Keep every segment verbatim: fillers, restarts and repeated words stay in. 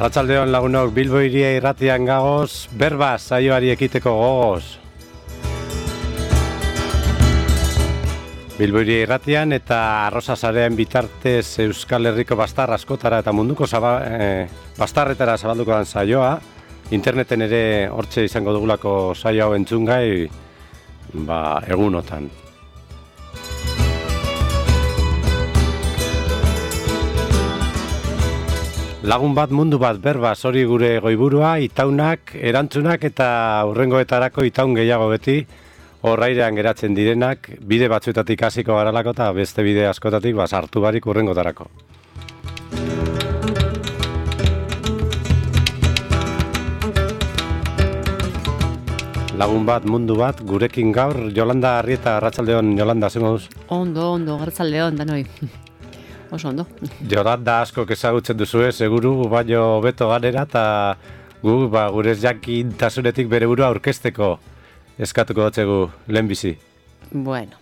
Arratsaldeon lagunok, Bilbo hiria irratian gagoz, berba saioari ekiteko gogoz. Bilbo hiria irratian eta Arrosa sarean bitartez Euskal Herriko bastar askotara eta munduko zaba, eh, bastarretara zabalduko den saioa. Interneten ere hortxe izango dugulako saio hau entzungai, ba, egunotan. Lagun bat, mundu bat, berba, hori gure goiburua, itaunak, erantzunak eta hurrengoetarako itaun gehiago beti, horrairean geratzen direnak, bide batzuetatik hasiko garalako eta beste bide askotatik ba, sartu barik hurrengotarako. Lagun bat, mundu bat, gurekin gaur, Jolanda Arrieta, arratsaldeon, Jolanda, zer moduz? Ondo, ondo, arratsaldeon, danoi. Oso ondo. Jolanda asko ezagutzen duzue, seguru, baino beto ganera, eta gu, ba, gure jakintasunetik bere burua aurkezteko eskatuko dotzegu lehenbizi. Bueno,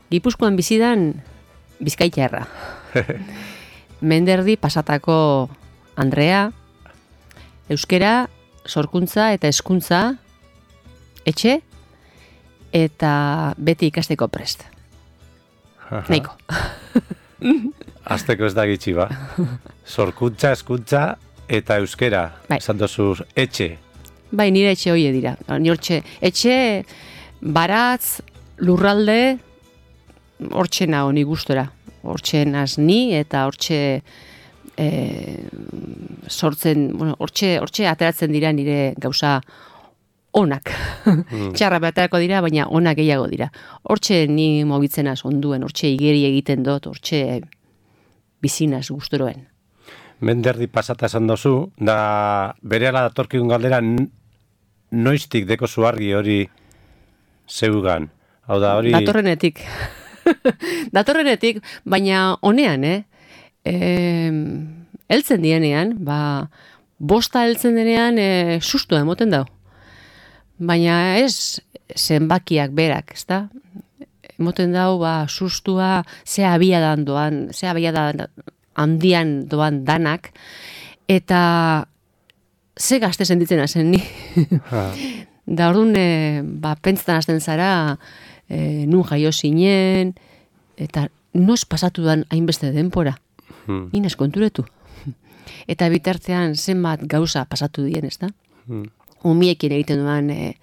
Gipuzkoan bizidan Bizkaitarra. Menderdi pasatako Andrea, euskera, sorkuntza eta hezkuntza etxe eta beti ikasteko prest. Neiko. Azteko ez da gitxi ba. Sorkuntza, hezkuntza eta euskera. Bai. Esan dozuz, etxe. Bai, nire etxe hoie dira. Ni hortxe, etxe, baratz, lurralde, hortxe nago ni gustora. Hortxe naz ni eta hortxe e, sortzen, bueno, hortxe, hortxe ateratzen dira nire gauza onak. Mm. Txarra baterako dira, baina onak gehiago dira. Hortxe ni mobitzenaz onduen, hortxe igeri egiten dut, hortxe bizinaz gustoroen. Menderdi pasata esan dozu, da berehala datorkigun galdera noiztik deko zuargi hori zeugan. Hau da hori... Datorrenetik. Datorrenetik, baina honean, eh? E, eltzen dienean, ba, bosta eltzen denean e, susto emoten dau. Baina ez zenbakiak berak, ezta? Emoten dau, ba, sustua, ze abiadan doan, ze abiadan handian doan danak, eta ze gazte sentitzen hazen ni. Da orduan, e, ba, pentsetan hasten zara, e, nun jaio zinen, eta noz pasatu dan hainbeste denpora. Hmm. Inaz konturetu. Eta bitartean zenbat gauza pasatu dien, ezta? Hmm. Umiekin egiten duan e,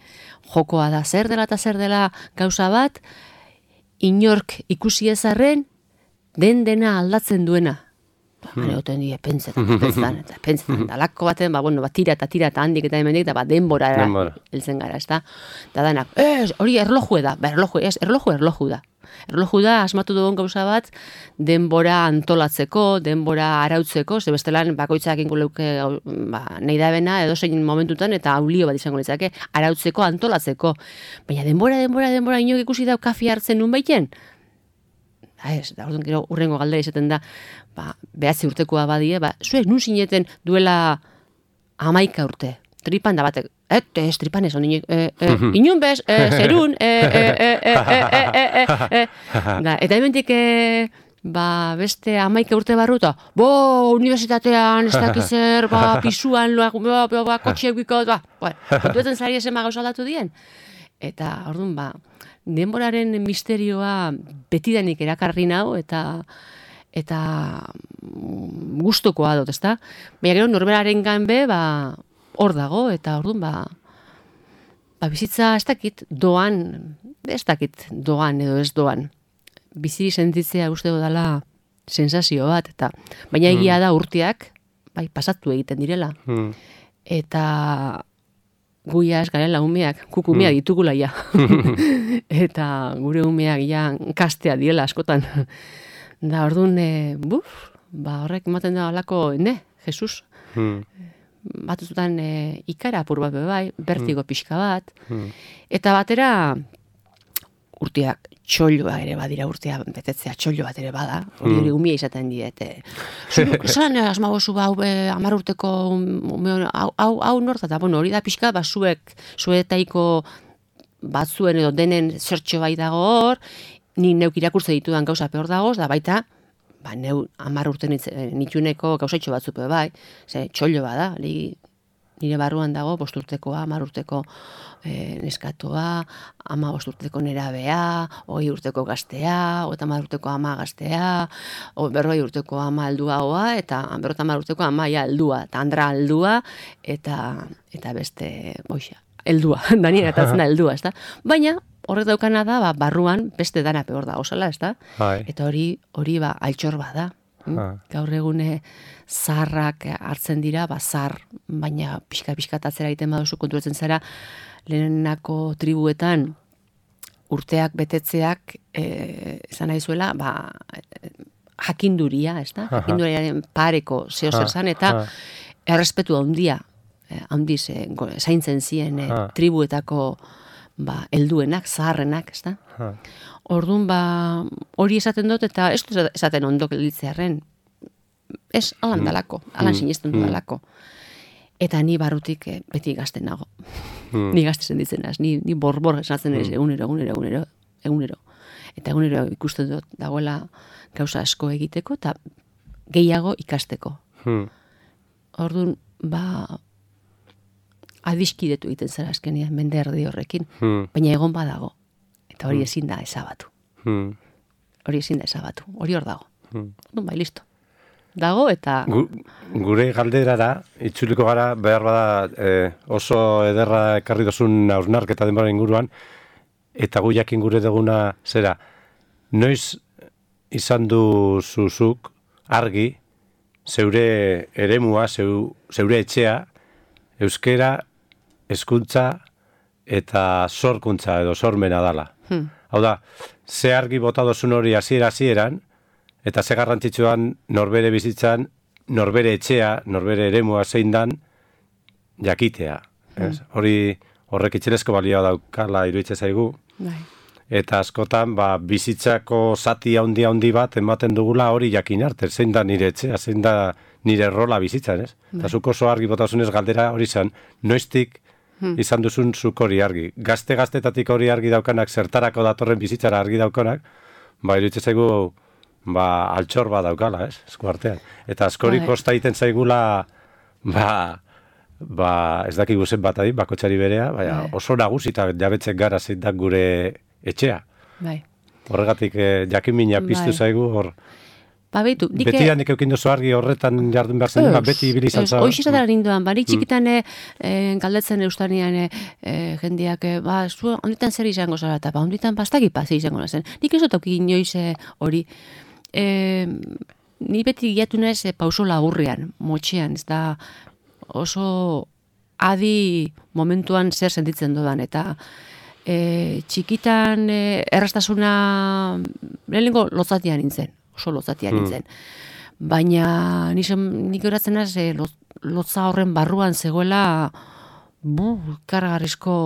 jokoa da zer dela eta zer dela gauza bat, inork ikusi ezarren, den dena aldatzen duena. Hale, hmm. oten die, pentsetan, pentsetan, eta pentsetan, da lako baten, ba, bueno, ba, tira eta tira eta handik eta hemendik, eta ba, denbora heltzen gara, ez da? Da danak, ez, hori erloju da, ba, erloju, ez, erloju, erloju da. Erloju da, asmatu dugun gauza bat, denbora antolatzeko, denbora arautzeko, ze bestelan bakoitzak inkuleuke ba, nahi da bena, edo zein momentutan, eta aulio bat izango litzake, arautzeko, antolatzeko. Baina denbora, denbora, denbora, inok ikusi dau kafi hartzen nun baiten? Da ez, da orduan gero urrengo galdera izaten da, ba, behatzi urtekoa badie, ba, zuek nun zineten duela hamaika urte, tripan da batek, et, ez, tripan ez, ondin, e, e, inun bez, e, zerun, e, e, e, e, e, e, e, e, da, eta hementik, e, ba, beste hamaika urte barruta, bo, unibertsitatean, ez dakizer, ba, pisuan, ba, ba, ba, ba kotxeak bikot, ba, ba, kontuetan zari esen gauza aldatu dien. Eta, orduan, ba, denboraren misterioa betidanik erakarri nau, eta eta gustokoa dut, ezta? Baina gero norberaren ganbe, ba, hor dago, eta orduan, ba, ba, bizitza ez dakit doan, ez dakit doan edo ez doan. Biziri sentitzea uste dela sensazio bat, eta baina egia da urteak, bai, pasatu egiten direla. Hmm. Eta guia ez garela umeak, kuk umeak hmm. ditugula ja. Eta gure umeak ja kastea diela askotan. Da orduan, e, buf, ba, horrek ematen da alako, ne, Jesus. Hmm. Batuzutan e, ikara apur bat bai, bertigo pixka bat. Hmm. Eta batera, urteak txolloa ere badira, urtea betetzea txollo bat ere bada, hori hori umia izaten diete. Zeran asmagozu hau hamar urteko hau, hau, hau norta, eta bueno, hori da pixka, ba, zuek, zuetaiko batzuen edo denen zertxo bai dago hor, ni neuk irakurtze ditudan gauza peor dagoz, da baita, ba, neu amar urte nitxuneko gauzaitxo batzupe bai, ze txollo bada, li, nire barruan dago bosturtekoa, amar urteko e, neskatoa, ama bosturteko nerabea, hogei urteko gaztea, eta amar urteko ama gaztea, o berroi urteko ama alduagoa, eta berrota amar urteko ama ja aldua, eta andra aldua, eta, eta beste, boixa, heldua, danien atatzen da heldua, ezta? Baina, horrek daukana da, ba, barruan beste dana peor da, osala, ezta? Eta hori, hori ba, altxor bada. Gaur egune zaharrak hartzen dira, ba, zahar, baina pixka-pixka atzera egiten baduzu konturatzen zara, lehenenako tribuetan urteak betetzeak, e, esan nahi zuela, ba, jakinduria, ez da? Jakinduriaren pareko zeo zer zan, eta errespetu handia, handiz, e, zaintzen ziren e, tribuetako ba, helduenak, zaharrenak, ez da? Orduan, ba, hori esaten dut, eta ez dut esaten ondok elitzearen, ez alan dalako, alan sinesten dudalako. Eta ni barrutik eh, beti gazten nago. Ni gazte senditzen naz, ni, ni borbor esatzen ez, egunero, egunero, egunero, egunero. Eta egunero ikusten dut dagoela gauza asko egiteko, eta gehiago ikasteko. Orduan, ba, adiskidetu egiten zara azkenean, mende erdi horrekin, baina egon badago. Eta hori ezin da ezabatu. Hori ezin da ezabatu. Hori hor dago. Orduan, bai, listo. Dago eta... Gu, gure galderara, itzuliko gara, behar bada eh, oso ederra ekarri dozun hausnarketa denbora inguruan, eta gu jakin gure duguna zera, noiz izan du zuzuk argi, zeure eremua, zeu, zeure etxea, euskera, hezkuntza eta sorkuntza edo sormena dala. Hmm. Hau da, ze argi bota dozun hori hasiera hasieran, eta ze garrantzitsuan norbere bizitzan, norbere etxea, norbere eremua zein dan, jakitea. Mm. Hori horrek itxelezko balioa daukala iruditzen zaigu. Bai. Eta askotan, ba, bizitzako zati handi handi bat ematen dugula hori jakin arte. Zein da nire etxea, zein da nire rola bizitzan, ez? Bai. Eta zuk oso argi botasunez galdera hori zen, noiztik hmm. izan duzun zuk hori argi. Gazte-gaztetatik hori argi daukanak, zertarako datorren bizitzara argi daukanak, ba, iruditzen zaigu, ba, altxor bat daukala, ez, esku artean. Eta askori kosta egiten zaigula, ba, ba, ez dakigu zen bat adin, bakotxari berea, baina oso nagusi eta jabetzen gara zein da gure etxea. Bai. Horregatik eh, jakimina piztu zaigu, hor, ba, behitu, dike... beti hanik eukin duzu argi horretan jardun behar zen, ba, beti ibili izan zara. Hoiz izatera ninduan, bari txikitan mm. e, galdetzen eustanean e, jendiak, e, ba, zu onditan zer izango zara, eta ba, onditan bastaki pazi izango zen. Nik ez dut auki inoiz hori, e, ni beti giatu naiz e, pauso laburrean, motxean, ez da oso adi momentuan zer sentitzen dudan, eta e, txikitan e, erraztasuna lehenengo lotzatian nintzen, oso lotzatian nintzen. Hmm. Baina nik horatzen az, e, lotza horren barruan zegoela bu, kargarrizko,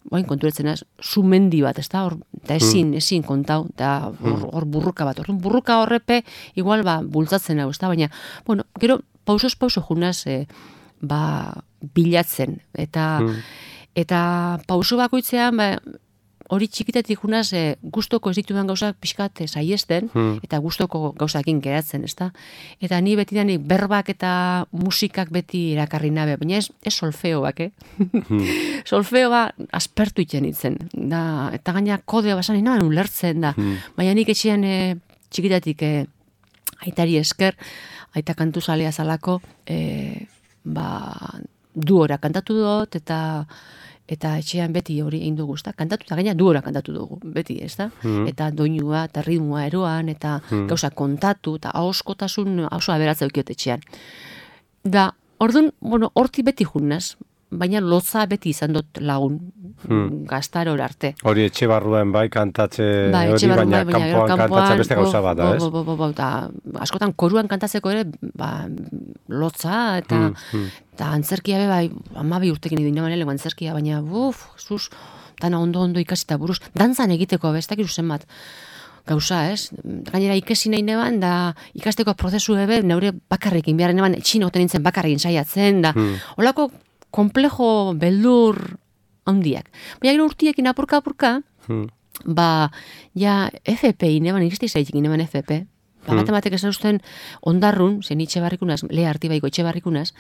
bain konturetzen az, sumendi bat, ez da, hor, eta ezin, hmm. ezin kontau, eta hor, hor burruka bat, hor, burruka horrepe, igual, ba, bultzatzen hau, ez da, baina, bueno, gero, pausos pauso junaz, e, ba, bilatzen, eta, hmm. eta pauso bakoitzean, ba, hori txikitetik junaz, e, gustoko ez ditudan gauzak pixkat saiesten, hmm. eta gustoko gauzakin geratzen, ez da? Eta ni beti danik berbak eta musikak beti erakarri nabe, baina ez, ez solfeoak, eh? Hmm. Solfeoa aspertu iten itzen, da, eta gaina kodea basan inoan ulertzen da, hmm. baina nik etxean e, txikitatik e, aitari esker, aita kantu zalea zalako, e, ba, duora kantatu dut, eta eta etxean beti hori egin dugu, ezta? Kantatu eta gaina duora kantatu dugu, beti, ezta? Mm. Eta doinua, eta ritmoa eroan, eta mm. gauza kontatu, eta ahoskotasun oso aberatza eukiot etxean. Da, orduan, bueno, horti beti junnaz, baina lotza beti izan dut lagun, hmm. gaztaror arte. Hori etxe barruan bai kantatze bai, hori, baina bai, kanpoan, kanpoan kantatze beste gauza bat da, ez? Bo, bo, bo, bo, ta, askotan koruan kantatzeko ere, ba, lotza, eta, hmm, hmm. eta antzerkia be, bai, amabi urtekin idin naman elego antzerkia, baina, buf, sus, dana ondo-ondo ikasita buruz, dantzan egiteko, bestak iruzen bat, gauza, ez? Gainera ikesi nahi neban, da ikasteko prozesu ebe, neure bakarrekin, biharren neban, etxinoten nintzen bakarrekin saiatzen, da, hmm. olako, komplejo beldur handiak. Baina gero urtiekin apurka-apurka, hmm. ba, ja, F P, ineban, ikizte izaitik ineban F P, Ba, bat ematek ez usten ondarrun, zen itxe barrikunaz, leha artibaiko itxe barrikunaz,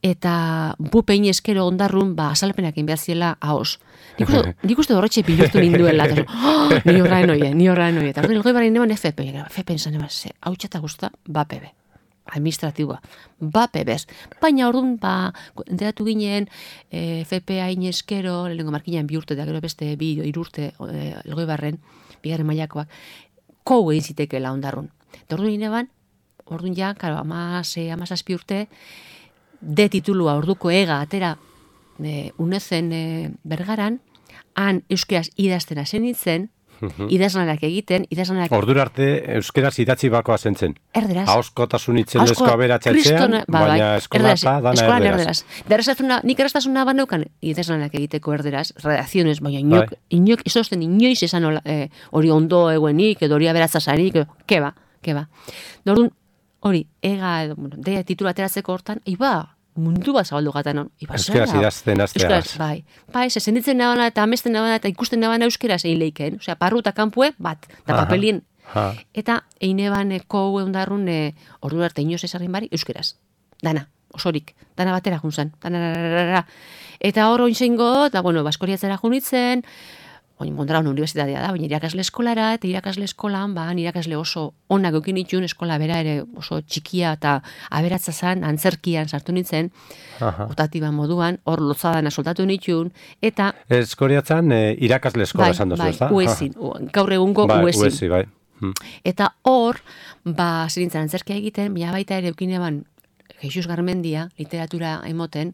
eta bu pein eskero ondarrun, ba, azalpenak egin behar ziela haos. Nik uste, nik uste horretxe pilurtu ninduela, eta oh, ni horraen oie, ni horraen oie. Eta orduan, elgoi barri neban F P, F P izan eban, ze, hau txata guzta, ba P B, administratiboa, ba P B ez. Baina orduan, ba, enteratu ginen, e, F P hain eskero, lehenko markinan bi urte, da gero beste bi irurte, e, elgoi barren, bigarren mailakoak, kou egin zitekeela ondarrun. Eta orduan neban, orduan ja, karo, amaz, amazazpi urte, de titulua orduko ega atera e, unezen e, bergaran, han euskeraz idaztena zenitzen, idazlanak egiten, idazlanak... Ordura arte euskeraz idatzi bakoa zentzen. Erderaz. Ahoskotasun itzen lezko aberatxatzean, ba, baina eskola eta dana eskolan erderaz. Derrazatuna, nik erraztasuna baneukan idazlanak egiteko erderaz, redakziones, baina inok, inok, izosten inoiz esan hola, e, hori ondo eguenik, edo hori aberatzazarik, edo, keba, keba. Dordun, hori, ega, edo, bueno, deia titulu ateratzeko hortan, iba, mundu bat zabaldu gatan hon. Euskeraz idazten azteaz. Bai, bai, se senditzen nabana eta amesten nabana eta ikusten nabana euskeraz egin leiken. Osea, parru eta kanpue, bat, eta papelien. Ha. Eta eine baneko eundarrun e, ordu arte inoz esarrin bari, euskeraz. Dana, osorik, dana batera junzan. Dana, eta hor oinzeingo, eta bueno, baskoriatzera junitzen, oin Mondragon unibertsitatea da, baina irakasle eskolara, eta irakasle eskolan, ba, irakasle oso onak eukin itxun, eskola bera ere oso txikia eta aberatza zan, antzerkian sartu nintzen, otatiban moduan, hor lotzadana soltatu nitxun, eta... Eskoriatzan e, irakasle eskola esan dozu, ez da? Bai, uezin, gaur egungo bai, uezin. Uezi, bai. Hmm. Eta hor, ba, zirintzen antzerkia egiten, baina baita ere eukin eban, Jesus Garmendia, literatura emoten,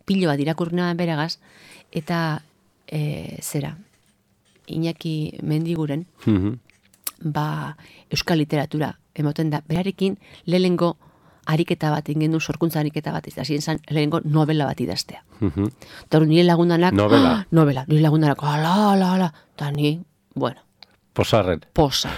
pilo bat irakurri beragaz, eta e, zera, Iñaki Mendiguren, mm-hmm. ba, euskal literatura emoten da. Berarekin, lehengo ariketa bat, ingendu sorkuntza ariketa bat, ez da, ziren lehengo novela bat idaztea. Mm-hmm. Eta nire lagundanak, novela, ah, novela, nire lagundanak, ala, ala, ala, eta ni, bueno. Posarren. Posa.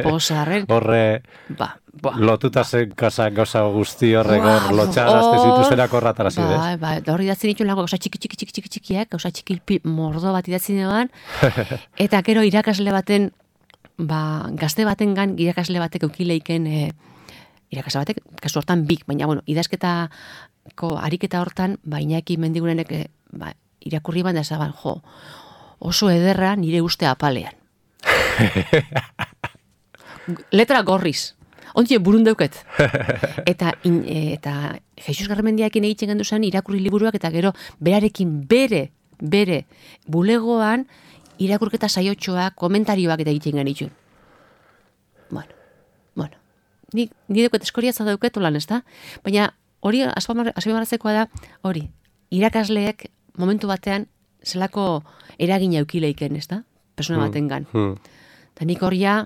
Posarren. Horre, ba, ba, lotuta zen kasa gauza guzti horre gor, lotxarazte zituzenak horratara zidez. Ba, ba, da hori idatzen dituen lago, gauza txiki, txiki, txiki, txiki, txikiak, gauza txiki mordo bat idatzen eban, eta gero irakasle baten, ba, gazte baten gan, irakasle batek eukileiken, e, irakasle batek, kasu hortan bik, baina, bueno, idazketako ariketa hortan, ba, Iñaki Mendigurenek, e, ba, irakurri ban da zaban, jo, oso ederra nire uste apalean. Letra gorriz. Ontie burundeuket. Eta, in, eta Jesus Garmendiakin egiten gendu zen irakurri liburuak eta gero berarekin bere, bere bulegoan irakurketa saiotxoak, komentarioak eta egiten genitxun. Bueno, bueno. Ni, ni deuket eskoriatza dauket lan, ez da? Baina hori azpimarratzekoa da, hori, irakasleek momentu batean zelako eragina eukileiken, ez da? Persona baten gan. Hmm. Eta nik hor ja,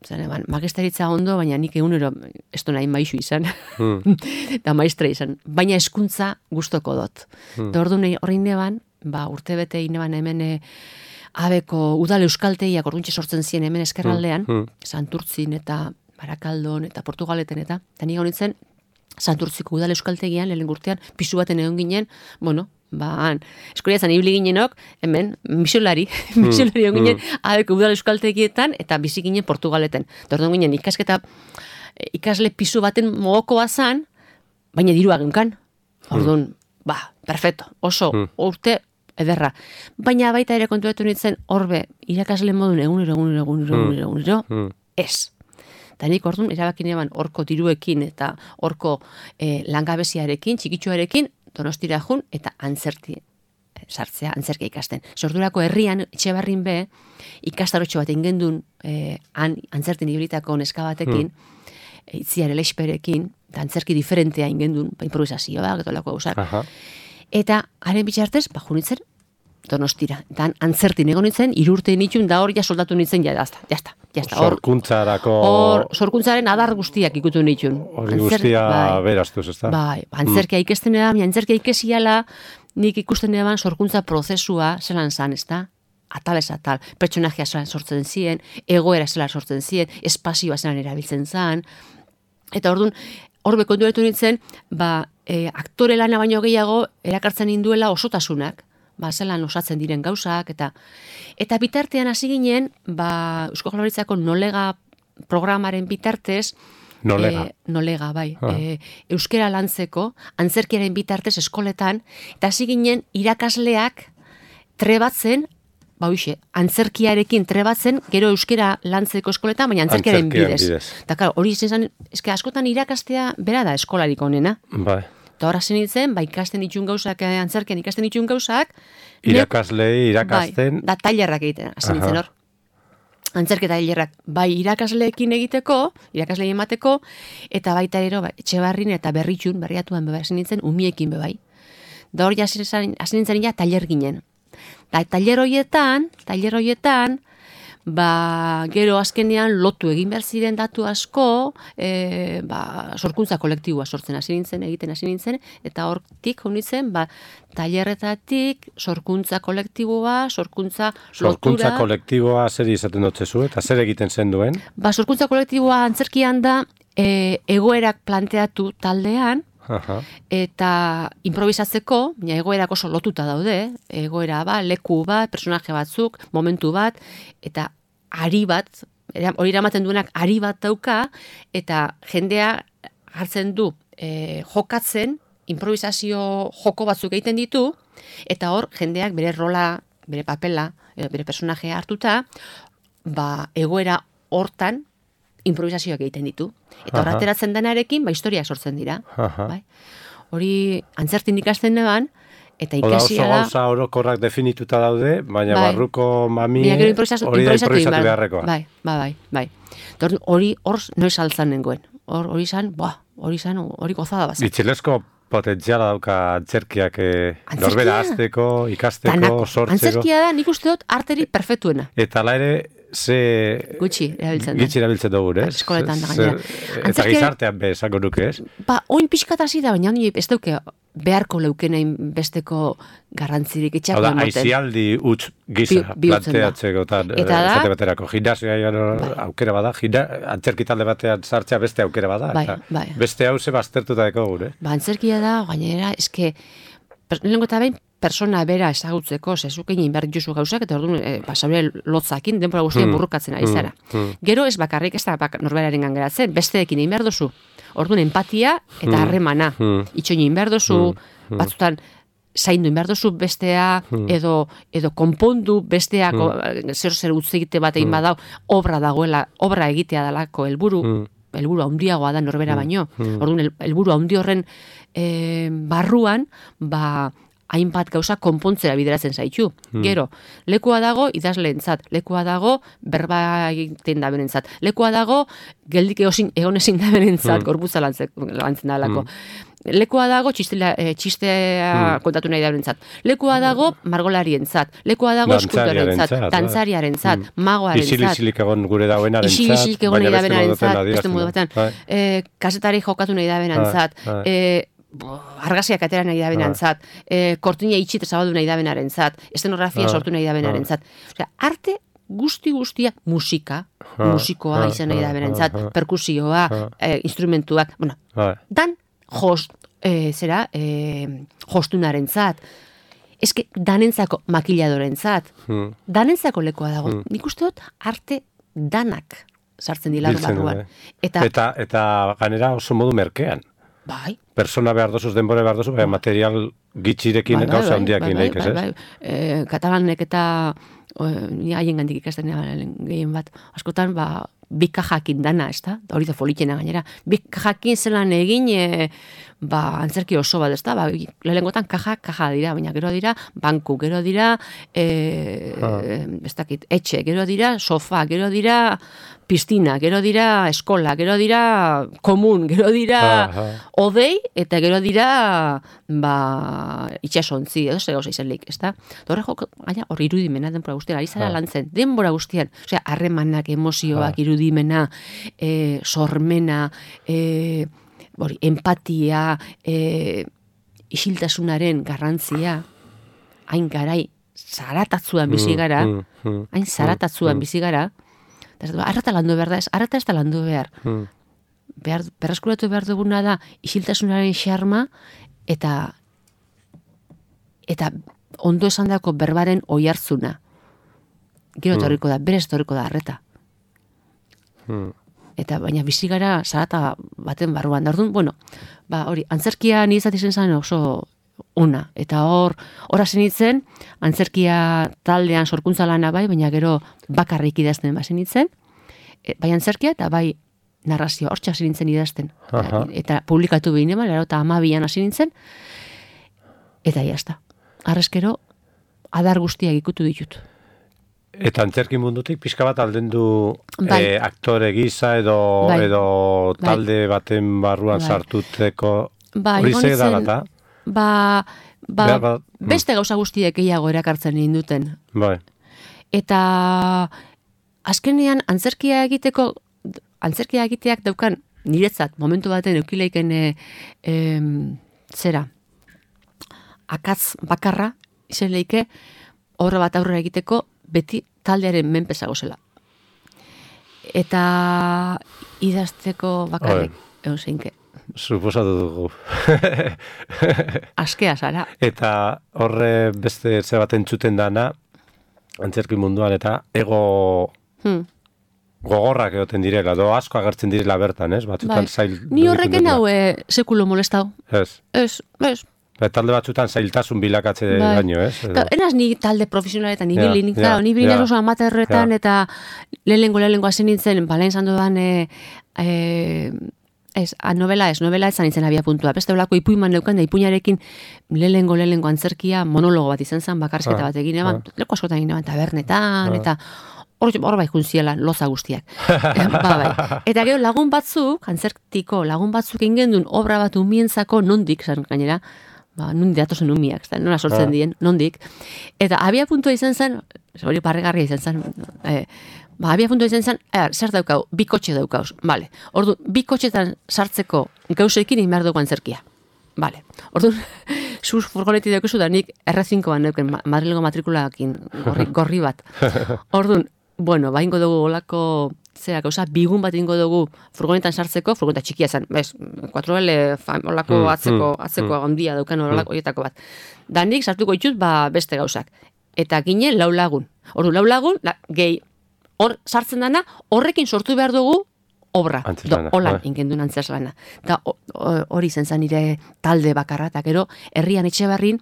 zan, magisteritza ondo, baina nik egunero ez du nahi maizu izan. Hmm. Eta maistra izan. Baina eskuntza gustoko dut. Hmm. Eta ordu horrein neban, ba, urte bete ineban hemen e, abeko udal euskalteiak orduntxe sortzen ziren hemen eskerraldean, hmm. Santurtzin eta Barakaldon eta Portugaleten eta, eta nik honitzen Santurtziko udal euskaltegian, lehen urtean, pisu baten egon ginen, bueno, ba, eskoriatzen ibili ginenok, hemen, misolari, misolari egon ginen, mm. abeko udal euskaltegietan, eta bizi ginen Portugaleten. Tordon ginen, ikasketa, ikasle pisu baten mogoko bazan, baina dirua genkan. Orduan, mm. ba, perfecto, oso, mm. urte ederra. Baina baita ere kontuetu nintzen, horbe, irakasle modun egunero, egunero, egunero, egunero, egunero, mm. ez. Eta nik orduan, erabakin eban orko diruekin eta orko eh, langabeziarekin, txikitsuarekin, Donostira jun eta antzerti sartzea, antzerkia ikasten. Sordurako herrian, Etxebarrin be, ikastarotxo bat ingendun eh, an, antzertin ibilitako neska batekin, mm. itziar elexperekin, eta antzerki diferentea ingendun, ba, improvisazioa, getolako gauzak. Eta haren bitxartez, ba, junitzen Donostira. Eta antzertin egon nintzen, irurte nitxun, da hor ja soldatu nintzen, ja, jazta, jazta. Sorkuntzarako... Hor, sorkuntzaren adar guztiak ikutu nitxun. Hori guztia bai, beraztuz, ez da? Bai, antzerkia mm. ikesten edan, antzerkia ikesiala, nik ikusten edan sorkuntza prozesua zelan zan, ez da? Atal ez atal, pertsonajia zelan sortzen ziren, egoera zelan sortzen ziren, espazioa zelan erabiltzen zan, eta orduan, hor bekontuetu nintzen, ba, e, aktore lana baino gehiago erakartzen induela osotasunak, ba, zelan osatzen diren gauzak, eta eta bitartean hasi ginen, ba, Eusko Jaurlaritzako nolega programaren bitartez, Nolega. E, nolega, bai. Ah. E, euskera lantzeko, antzerkiaren bitartez eskoletan, eta hasi ginen irakasleak trebatzen, ba hoxe, antzerkiarekin trebatzen, gero euskera lantzeko eskoletan, baina antzerkiaren bidez. bidez. Eta klar, hori izan, eske askotan irakastea bera da eskolarik onena. Bai. Eta horra zen nintzen, ba ikasten ditun gauzak, antzerkian ikasten ditun gauzak. Irakaslei, irakasten. Bai, da tailerrak egiten, hasi nintzen hor. Antzerketa hilerrak bai irakasleekin egiteko, irakasleei emateko, eta baita ero, ba, Etxebarrin eta Berritxun, berriatuan beba esan nintzen, umiekin bebai. Da hori hasi nintzen ja tailer ginen. Da tailer horietan, tailer horietan, ba, gero azkenean lotu egin behar ziren datu asko, e, ba, sorkuntza kolektiboa sortzen hasi nintzen, egiten hasi nintzen, eta hortik honitzen, ba, tailerretatik, sorkuntza kolektiboa, sorkuntza lotura. Sorkuntza kolektiboa zer izaten dutzezu, eta zer egiten zen duen? Ba, sorkuntza kolektiboa antzerkian da, e, egoerak planteatu taldean, Aha. eta improvisatzeko, ja, egoerak oso lotuta daude, egoera ba, leku bat, personaje batzuk, momentu bat, eta ari bat, hori eramaten duenak ari bat dauka, eta jendea hartzen du e, jokatzen, improvisazio joko batzuk egiten ditu, eta hor jendeak bere rola, bere papela, bere personajea hartuta, ba, egoera hortan improvisazioak egiten ditu. Eta hor ateratzen denarekin, ba, historia sortzen dira. Bai? Hori antzertin ikasten neban, eta ikasia da... Oso gauza orokorrak definituta daude, baina bai, barruko mami hori improvisatu, da improvisatu beharrekoa. Bai, bai, bai. bai. Hori hor noiz altzan nengoen. Hori izan, hori izan, hori gozada bazak. Itxelesko potentziala dauka antzerkiak eh, norbera azteko, ikasteko, Tanako. sortzeko. Antzerkia da nik uste dut arteri perfektuena. Eta la ere, ze... Gutxi erabiltzen da. Gutxi erabiltzen dugu, ez? Eskoletan da gainera. Eta gizartean be, esango nuke, ez? Ba, oin pixkat hasi da, baina honi ez dauke beharko leukenain besteko garrantzirik itxako emoten. Hau da, aizialdi utz gisa Bi, planteatzeko, eta esate baterako, gimnasioa bai, aukera bada, antzerki talde batean sartzea beste aukera bada, bai, eta bai. beste hau ze baztertuta deko gure. Ba, antzerkia da, gainera, eske, lehenko eta behin, persona bera ezagutzeko, zezukein inbar dituzu gauzak, eta orduan, e, basaure lotzakin, denbora guztien hmm, burrukatzen ari zara. Hmm, hmm. Gero ez bakarrik ez da bak, norberaren gangeratzen, besteekin egin behar duzu. Orduan, empatia eta harremana. Hmm. Itxoin egin behar duzu, hmm. batzutan, zaindu behar duzu bestea, hmm. edo, edo konpondu bestea, hmm. zer zer utz egite bat egin hmm. badau, obra dagoela, obra egitea dalako helburu, hmm. helburu handiagoa da norbera hmm. baino. Hmm. Orduan, helburu handi horren e, barruan, ba, hainbat gauza konpontzera bideratzen zaitu. Hmm. Gero, lekua dago idazleentzat, lekua dago berba egiten da benentzat, lekua dago geldik egon ezin da benentzat, hmm. gorputza lantzen dalako. Hmm. Lekua dago txistela, e, txistea hmm. kontatu nahi da benentzat. Lekua dago margolarientzat, lekua dago eskultorentzat, dantzariarentzat, hmm. magoarentzat. Isil-isilik egon gure dauenarentzat, isil-isilik egon nahi da benentzat, beste modu batean. E, kasetari jokatu nahi da benentzat, e, argasiak atera nahi da benantzat, e, kortina itxit zabaldu nahi da benarentzat, estenografia sortu nahi da benarentzat. Osea, arte guzti guztia, musika, musikoa izan nahi da benarentzat, perkusioa, e, instrumentuak, bueno, dan jost, e, zera, e, jostunarentzat, eske danentzako makiladorentzat, danentzako lekoa dago. Nik uste dut arte danak sartzen dila barruan. Eta, eta, eta ganera oso modu merkean. Bai. Persona behar dozuz, denbora behar dozuz, bai, material gitxirekin bai, bai, gauza handiakin bai, bai, bai, bai, bai. E, katalanek eta ni haien gandik ikasten gehien bat. Askotan, ba, bi kajakin dana, ez da? Hori da folitxena gainera. Bi kajakin zelan egin, e, ba, antzerki oso bat, ez da? Ba, lehengotan kaja, kaja dira, baina gero dira, banku, gero dira, e, ah. ez dakit, etxe, gero dira, sofa, gero dira, pistina, gero dira eskola, gero dira komun, gero dira odei, eta gero dira ba, itxasontzi, edo zer gauza izenlik, ez da? Horre joko, gaina, hor irudimena denbora guztian, ari zara lantzen, denbora guztian, osea, harremanak, emozioak, irudimena, e, sormena, e, hori, empatia, e, isiltasunaren garrantzia, hain garai, zaratatzuan bizi gara, hain zaratatzuan bizi gara, arrata landu behar da ez, arrata ez da landu behar. Hmm. behar berreskuratu behar duguna da isiltasunaren xarma eta eta ondo esandako berbaren oihartzuna. Gero etorriko da, berez etorriko da arreta. Hmm. eta baina bizi gara zarata baten barruan. Da orduan, bueno, ba, hori, antzerkia nizat izen zen oso ona. Eta hor, hor hasi nintzen, antzerkia taldean sorkuntza lana bai, baina gero bakarrik idazten hasi nintzen, e, bai antzerkia eta bai narrazio, hortxe hasi nintzen idazten. Aha. Eta publikatu behin eman, eta amabian hasi nintzen, eta jazta. Arrezkero, adar guztiak ikutu ditut. Eta antzerki mundutik pixka bat aldendu Bai. eh, aktore gisa edo, Bai. edo Bai. talde baten barruan Bai. sartuteko Ba, hori egon ze nintzen- da, Ba, ba, Behar bat- beste gauza guztiek gehiago erakartzen ninduten. bai. Eta azkenean antzerkia egiteko, antzerkia egiteak daukan niretzat momentu baten eukileiken e, em, zera, akatz bakarra izen leike obra bat aurrera egiteko beti taldearen menpezago zela. Eta idazteko bakarrik egon zeinke. Suposatu dugu. Askea zara. Eta horre beste ze bat entzuten dana, antzerki munduan, eta ego Hmm. gogorrak egoten direla, do asko agertzen direla bertan, ez? Batzutan Bai. zail... Ni horreken hau e, sekulo molestau. Ez. Ez, ez. Ba, talde batzutan zailtasun bilakatze Bai. baino, ez? Edo- Ta, enaz ni talde profesionaletan Ja, ibili, nik ja, claro, ni ibili ja. oso amaterretan Ja. eta lehenengo lehenengo hasi nintzen, balain zan dudan e, e, ez, a, novela ez, novela ez zan nintzen abia puntua. Beste olako ipuiman neukan da ipuinarekin lehenengo lehenengo antzerkia monologo bat izan zen, bakarrizketa Ah, bat egin eban, ah. leko askotan egin eban, tabernetan, Ah. eta hor, hor bai juntziela, loza guztiak. E, ba, bai. Eta gero lagun batzuk, antzertiko lagun batzuk ingendun obra bat umientzako nondik, zan gainera, ba, nundi datozen umiak, ez da, nola sortzen Ah. dien, nondik. Eta abia puntua izan zen, hori parregarria izan zen, e, ba, abia puntua izan zen, er, zer daukau, bi kotxe daukauz, bale. Ordu, bi kotxetan sartzeko gauzekin egin behar dugu antzerkia. Bale. Ordu, zuz furgoneti daukazu da nik erre zinkoan neuken, ma- Madrilgo matrikulakin gorri, gorri bat. Orduan, bueno, ba, ingo dugu olako, zera, gauza, bigun bat ingo dugu furgonetan sartzeko, furgoneta txikia zen, bez, cuatro L, fam, olako Mm, atzeko, mm, atzeko mm. handia daukan olako horietako bat. Da nik sartuko ditut, ba, beste gauzak. Eta ginen lau lagun. Ordu, lau lagun, la, gehi, hor sartzen dana, horrekin sortu behar dugu obra. Antzezlana, Do, holan, bai. ingendun antzezlana. Da, o- o- hori zen zen nire talde bakarra, eta gero, herrian etxe barrin,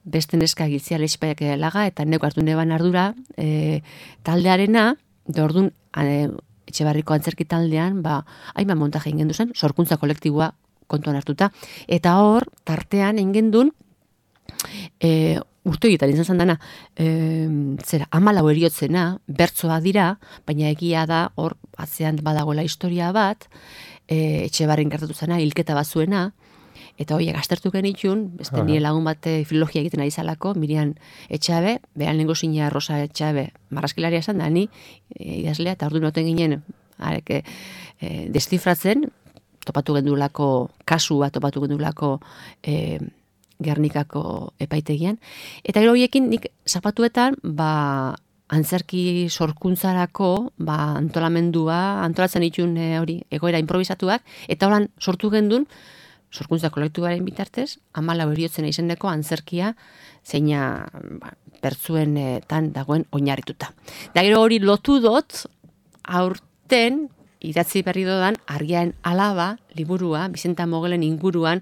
beste neska giltzia lexpaiak laga, eta neko hartu neban ardura e, taldearena, da orduan, e, etxe barriko antzerki taldean, ba, hainbat montaje ingendu zen, sorkuntza kolektiboa kontuan hartuta, eta hor, tartean ingendun, e, urte egiten izan zen dana, e, zera, amalau eriotzena, bertsoa dira, baina egia da, hor, atzean badagoela historia bat, e, etxe barrin gertatu zena, hilketa bat zuena, eta horiek aztertu genitxun, beste Aha. nire lagun bate filologia egiten ari zalako, Mirian Etxabe, behan lengo zina Rosa Etxabe, marraskilaria esan da, ni e, idazlea, eta ordu noten ginen, arek, e, destifratzen, topatu gendulako, kasu bat topatu gendulako e, Gernikako epaitegian, eta gero horiekin nik zapatuetan, ba, antzerki sorkuntzarako, ba, antolamendua, antolatzen ditun e, hori, egoera improvisatuak, eta horan sortu gendun, sorkuntza kolektuaren bitartez, amalau eriotzen izeneko antzerkia zeina ba, pertsuen eh, tan dagoen oinarrituta. Da gero hori lotu dot, aurten, idatzi berri dodan, Argiaren alaba, liburua, Bizenta Mogelen inguruan,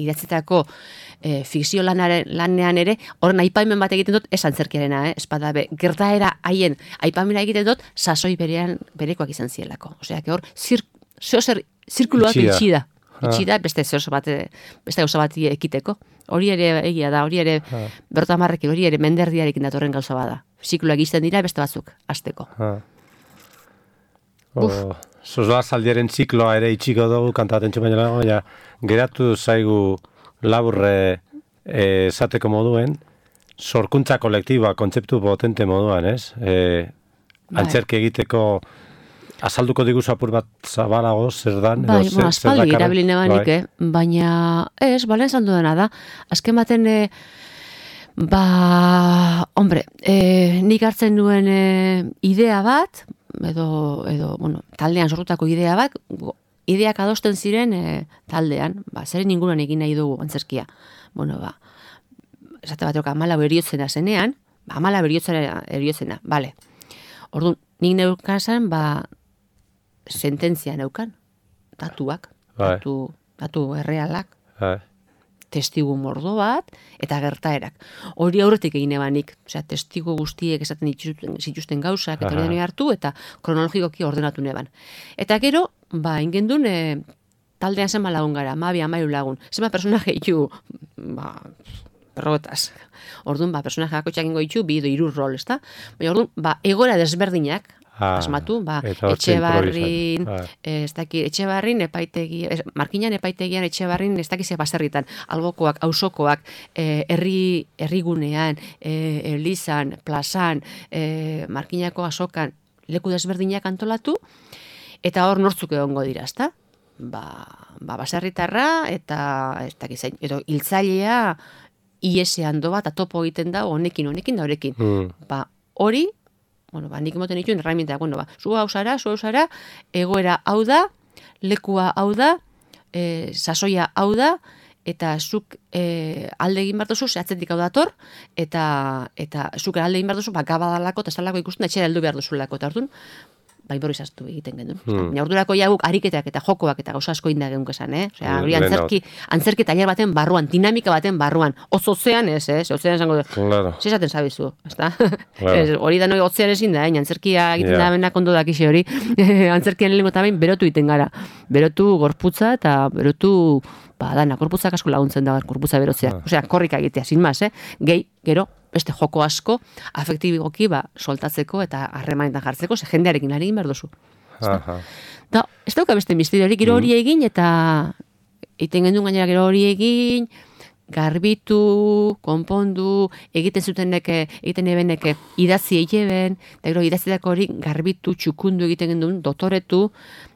idatzitako e, fikzio lanaren, lanean ere, horren aipamen bat egiten dut, ez antzerkiarena, eh? Espada be, gertaera haien aipamena egiten dut, sasoi berean, berekoak izan zielako. Osea, que hor, zir, zeozer, zirkuluak Itxi da. itxi da. Ah. Itxi da, beste zeozer bat, beste gauza bat ekiteko. Hori ere egia da, hori ere, Ah. berta marrekin, hori ere menderdiarekin datorren gauza bada. Zikluak izten dira, beste batzuk, azteko. Ah. O, Zozoa zaldiaren zikloa ere itxiko dugu kantaten txumaino lago, ja, geratu zaigu laburre eh, esateko moduen, sorkuntza kolektiboa, kontzeptu potente moduan, ez? E, antzerki egiteko azalduko diguzu apur bat zabalago, zer dan? Bai, edo zer- bueno, zer aspaldi dakarren? erabili nebanik, Bai. eh? Baina, ez, balen esan dudana da, azken baten, eh, ba, hombre, eh, nik hartzen nuen eh, idea bat, edo, edo, bueno, taldean sortutako idea bat, go- ideak adosten ziren eh, taldean, ba, zeren inguruan egin nahi dugu antzerkia. Bueno, ba, esate baterok amalau eriotzena zenean, ba, amalau eriotzena, eriotzena, bale. Orduan, nik neukazen, ba, sententzia neukan, datuak, Bai. datu, datu errealak, Bai. testigu mordo bat, eta gertaerak. Hori aurretik egin ebanik, osea, testigu guztiek esaten dituzten, zituzten gauzak, eta hori hartu, eta kronologikoki ordenatu neban. Eta gero, ba, ingendun, e, taldean zenba lagun gara, mabi, amairu lagun, zenba personaje ditu, ba, perrotaz. Orduan, ba, personaje bakotxak ingo ditu, bi edo hiru rol, ezta? Baina orduan, ba, egoera desberdinak, Ah, asmatu, ba, Etxebarrin, ez daki, Etxebarrin epaitegi, ez, Markinan epaitegian Etxebarrin ez dakize baserritan, albokoak, auzokoak, eh, herri herrigunean, eh, elizan, plazan, eh, Markinako azokan, leku desberdinak antolatu, eta hor nortzuk egongo dira, ezta? Ba, ba, baserritarra, eta ez dakizein, edo hiltzailea iesean do bat, atopo egiten da, honekin, honekin da horekin. Mm. Ba, hori, bueno, ba, nik emoten dituen herramientak, bueno, ba, zu hau zara, zu hau zara, egoera hau da, lekua hau da, e, sasoia hau da, eta zuk e, alde egin behar duzu, zehatzetik hau dator, eta, eta zuk alde egin behar duzu, ba, gabadalako, eta estalako ikusten, etxera heldu behar duzulako, eta orduan, ba, improvisaztu egiten genuen. Hmm. Baina ordurako ja guk ariketak eta jokoak eta gauza asko inda geunk esan, eh? Osea, hori antzerki, antzerki tailer baten barruan, dinamika baten barruan. Oz ozean ez, eh? Ozean esango du. Claro. Se esaten sabizu, ezta? Claro. Hori da noi otzean ezin da, eh? Antzerkia egiten yeah. da benak ondo dakixe hori. Antzerkian lehengo eta behin berotu egiten gara. Berotu gorputza eta berotu ba, dana, gorputzak asko laguntzen da, gorputza berotzea. Ah. Osea, korrika egitea, sin mas, eh? Gehi, gero, beste joko asko, afektiboki ba, soltatzeko eta harremanetan jartzeko, ze jendearekin ari egin behar duzu. Da, ez dauka beste misterio hori, gero hori egin, eta egiten gendun gainera gero hori egin, garbitu, konpondu, egiten zuteneke, egiten ebeneke, idatzi egeben, eta gero idatzitako hori garbitu, txukundu egiten gendun, dotoretu,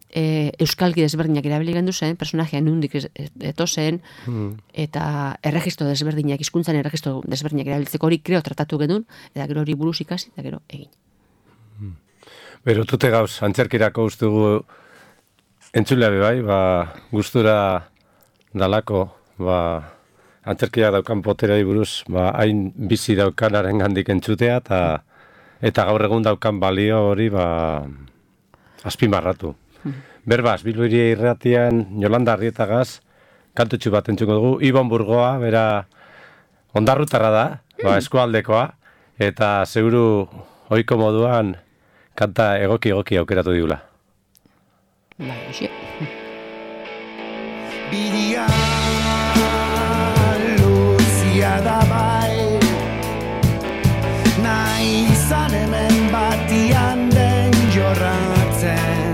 E, euskalki desberdinak erabili gendu zen, personajea nundik eto zen, hmm. eta erregistro desberdinak, hizkuntzan erregistro desberdinak erabiltzeko hori kreo tratatu genuen, eta gero hori buruz ikasi, eta gero egin. Hmm. Berotute gauz, antzerkirako ustugu entzulea bai, ba, gustura dalako, ba, antzerkia daukan poterei buruz, ba, hain bizi daukanaren gandik entzutea, eta, eta gaur egun daukan balio hori, ba, azpimarratu. Berbaz, Bilboiria irratian Jolanda Arrietagaz kantutxu bat entzuko dugu, Ibon Burgoa, bera ondarrutarra da, ba, eskualdekoa, eta seguru ohiko moduan kanta egoki-egoki aukeratu digula. Bai, hoxe. Bidia luzia da bai, nahi izan hemen batian den jorratzen.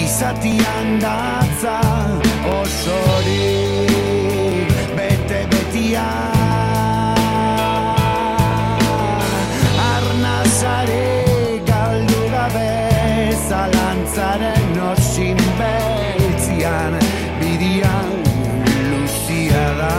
Izatian datza osorik bete-betia arnazare galdu gabe zalantzaren osin beltzian bidian luzia da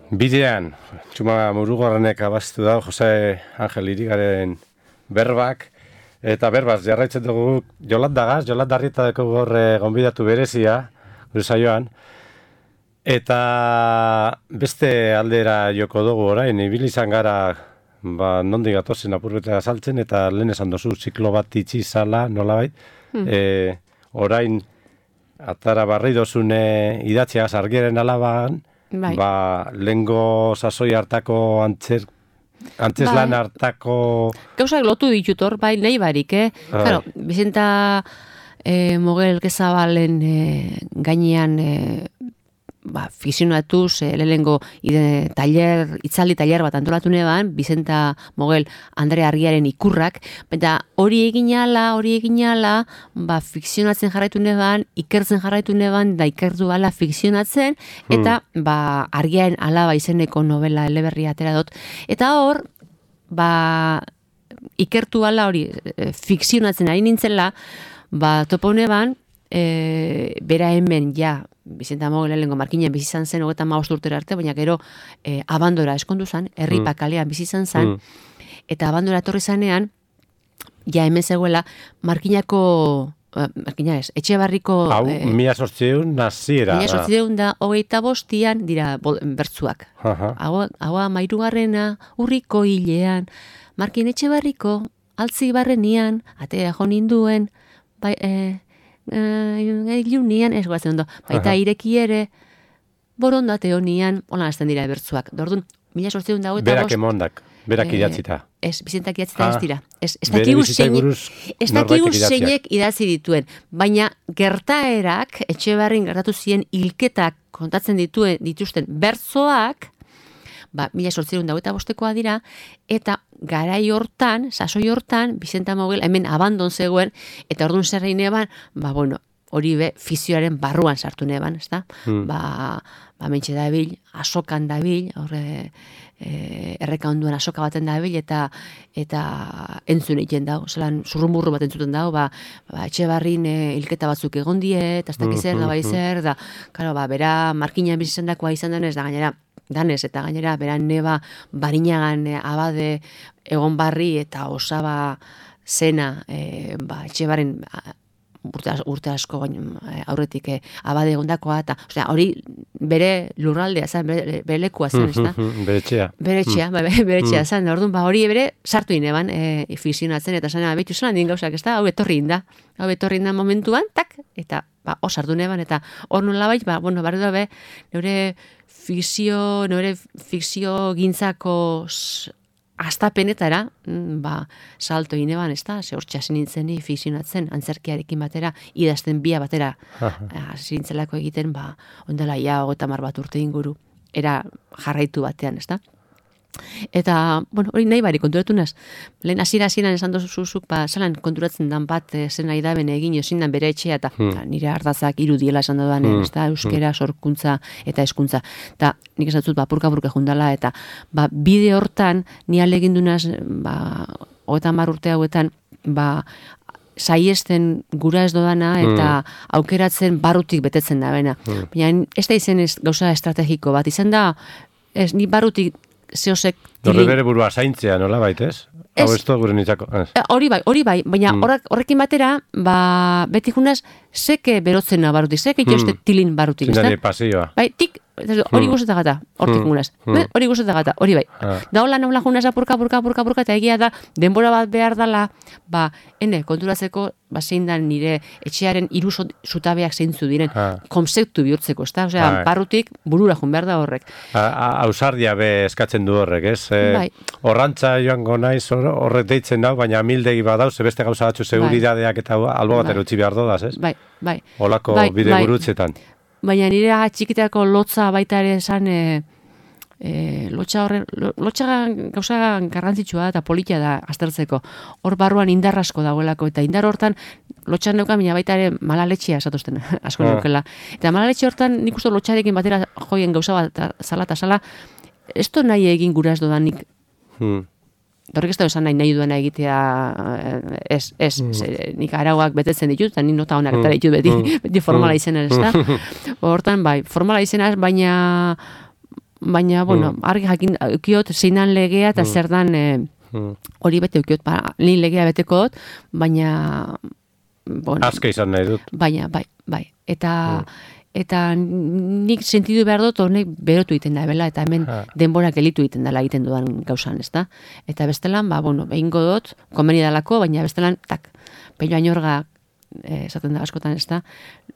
Bidean, txuma Murugorrenek abastu da, Jose Angel Irigaren berbak, eta berbaz jarraitzen dugu Jolandagaz, Jolandarrieta dugu gorre gonbidatu berezia, gure saioan, eta beste aldera joko dugu orain, ibili izan gara, ba, nondik gatozen apurbetera saltzen, eta lehen esan dozu, ziklo bat itxi zala, nolabait, hmm. e, orain, atara barri dozune idatziagaz argiaren alaban, bai. Ba, lengo sasoi hartako antzer, antzeslan bai. Hartako... Gauzak lotu ditut hor, bai, nahi barik, eh? Bai. Claro, Bizenta eh, Mogel Gezabalen eh, gainean eh, ba, fikzionatuz, eh, lehengo ide, taller, itzaldi taller bat antolatu neban, Bizenta Mogel Andre Argiaren ikurrak, eta hori egin ala, hori egin ala, ba, fikzionatzen jarraitu neban, ikertzen jarraitu neban, da ikertu ala fikzionatzen, eta hmm. ba, Argiaren alaba izeneko novela eleberria atera dut. Eta hor, ba, ikertu ala hori e, fikzionatzen ari nintzela, ba, topo neban, e, bera hemen, ja, Bizenta Mogel lehengo markinen bizi izan zen hogeita hamabost urtera arte, baina gero eh, abandora eskondu zen, herripa kalean bizi izan zen, mm. eta abandora etorri zanean, ja hemen zegoela, markinako, uh, markina ez, Etxebarriko... Hau, eh, mila sortzeun naziera. Mila sortzeun da, hogeita bostian, dira bol, bertzuak. Hau, hau mairugarrena, urriko hilean, markin Etxebarriko, altzi barrenian, atea jo ninduen, bai... Eh, Ilunian, ez guazen ondo, baita ireki ere, borondate honian, holan azten dira ebertzuak. Dordun, mila sortzeun dago eta berak emondak, berak eh, idatzita. Ez, Bizentak idatzita ah, ez dira. Ez, ez dakigu zeinek, ez dakigu zeinek idatzi dituen, baina gertaerak, Etxebarrin gertatu ziren hilketak kontatzen dituen dituzten bertzoak, ba, mila sortzeun dago eta bostekoa dira, eta garai hortan, sasoi hortan, Bizenta Mogel hemen abandon zegoen, eta orduan zer egin eban, ba, bueno, hori be, fizioaren barruan sartu neban, ez da? Hmm. Ba, ba, mentxe dabil, asokan dabil, horre, e, erreka onduan asoka baten dabil, eta eta entzun egiten dago, zelan zurrumurru bat entzuten dago, ba, ba Etxebarrin e, hilketa batzuk egon die, eta ez dakiz zer, da bai zer, da, karo, ba, bera markinan bizitzen dakoa izan denez, da gainera, danez, eta gainera, beran neba barinagan e, abade egon barri eta osaba zena e, ba, Etxebarren urte, urte asko aurretik e, abade egondakoa, eta osea, hori bere lurraldea zen, bere, bere lekua zen, ez da? Bere etxea. Bere etxea, mm. bere etxea mm. zen, orduan, ba, hori bere sartu ineban e, fikzionatzen, eta zen, behitu zelan din gauzak, ez da? Hau etorri inda, hau etorri inda momentuan, tak, eta ba, osartu neban, eta hor nola bai, ba, bueno, barri dobe, neure fikzio, neure fikzio gintzako astapenetara, ba, salto ineban, ez da, ze hor txasin nintzeni fikzionatzen, antzerkiarekin batera, idazten bia batera, hasi nintzelako egiten, ba, ondela ia, hogeita hamar bat urte inguru, era jarraitu batean, ez da? Eta, bueno, hori nahi bari konturatu naz. Lehen hasiera hasieran esan dozuzuk, ba, zalan konturatzen dan bat e, zen nahi da bene egin ezin dan bere etxea, eta hmm. nire ardazak irudiela esan dudan, hmm. ez da, euskera, sorkuntza eta hezkuntza. Eta nik esan dut, ba, purka-purka jundala, eta ba, bide hortan, ni alegin dunaz, ba, hogeita hamar urte hauetan, ba, saiesten gura ez dodana, eta hmm. aukeratzen barrutik betetzen da, bena. Hmm. Baina, ez da izen ez gauza estrategiko bat, izan da, ez, ni barrutik zeosek... Horre bere burua zaintzea, nola baitez? Hau ez da gure nintzako. Hori bai, hori bai, baina mm. horrekin batera, ba, beti junaz, seke berotzen barutik, seke itoste mm. tilin barutik. Zindari pasioa. Bai, tik, hori mm. guztetak gata, hortik mm. gunaz. Mm. Hori guztetak gata, hori bai. Ah. Da hola nola junaz apurka, apurka, apurka, apurka, eta egia da, denbora bat behar dala, ba, ene, konturatzeko, ba, zein da nire etxearen hiru zutabeak zeintzu diren, ah. konzeptu bihurtzeko, ez da? Osea, barrutik burura jun behar da horrek. Ausardia be eskatzen du horrek, ez? Bai. Horrantza joango naiz horrek deitzen dau, baina mildegi badauz, beste gauza batzu seguridadeak eta albo batero utzi behar dodaz, ez? Bai, bai. Olako bai, bide bai. gurutzetan. Baina nire txikitako lotza baita ere esan, e, e, lotxa horren, lotxa gauza garrantzitsua eta politia da aztertzeko. Hor barruan indar asko dagoelako, eta indar hortan lotxan neuka, baina baita ere malaletxea esatuzten asko ah. neukela. Eta malaletxe hortan nik uste lotxarekin batera joien gauza bat zala eta zala, ez to nahi egin gura ez dodanik. Hmm. Horrek ez da esan nahi nahi duena egitea, ez, ez, hmm. ze, nik arauak betetzen ditut, eta nik nota honak eta ditut beti, hmm. beti formala izena ez da. Hortan, bai, formala izena baina baina, bueno, mm. argi jakin, ukiot, zeinan legea eta mm. zer dan, e, mm. hori bete ukiot, ba, lehen legea beteko dut, baina, bueno. Azke izan nahi dut. Baina, bai, bai. Eta, mm. eta nik sentidu behar dut, honek berotu egiten da, bela, eta hemen ha. denbora gelitu egiten dela egiten dudan gauzan, ez da? Eta bestelan, ba, bueno, behingo dut, komeni dalako, baina bestelan, tak, peio ainorga, eh, esaten da askotan, ez da,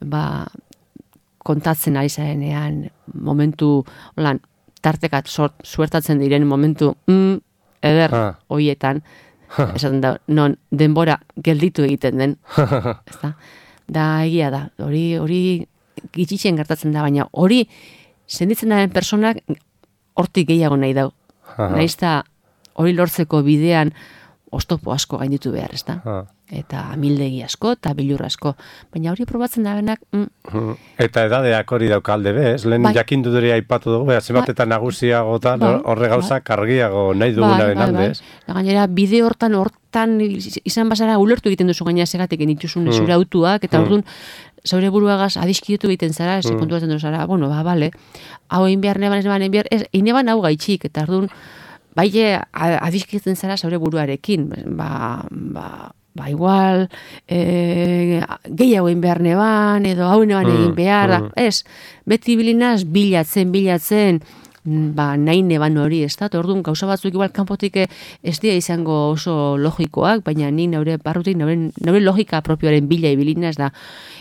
ba, kontatzen ari zarenean momentu, holan, tartekat sort, suertatzen diren momentu, mm, eder, ha. hoietan, esaten da, non denbora gelditu egiten den, ez da? Da egia da, hori hori gitxitzen gertatzen da, baina hori senditzen daren personak hortik gehiago nahi dau. Nahiz da hori lortzeko bidean oztopo asko gainditu behar, ez da? Eta amildegi asko eta bilur asko. Baina hori probatzen da benak... Mm. Eta edadeak hori dauka alde bez, lehen bai. jakindu dure aipatu dugu, beha zemat eta nagusiago eta bai. horre gauza bai. kargiago nahi dugunaren bai, bai, aldez. Bai. Gainera, bide hortan, hortan izan bazara ulertu egiten duzu gaina segatik enituzun mm. zure autuak, eta mm. orduan zaure buruagaz adiskietu egiten zara, ez mm. kontuatzen duzu zara, bueno, ba, bale, hau egin behar, neban, ez neban, egin behar, ez, ineban hau gaitxik, eta orduan, baile adiskietzen zara zaure buruarekin, ba, ba, ba igual, e, gehiago egin behar neban, edo hau neban mm. egin behar, mm. ez, beti bilinaz, bilatzen, bilatzen, ba, nahi neban hori, ez da, orduan, gauza batzuk igual kanpotik ez dira izango oso logikoak, baina ni naure barrutik, naure, naure logika propioaren bila ibilinaz da.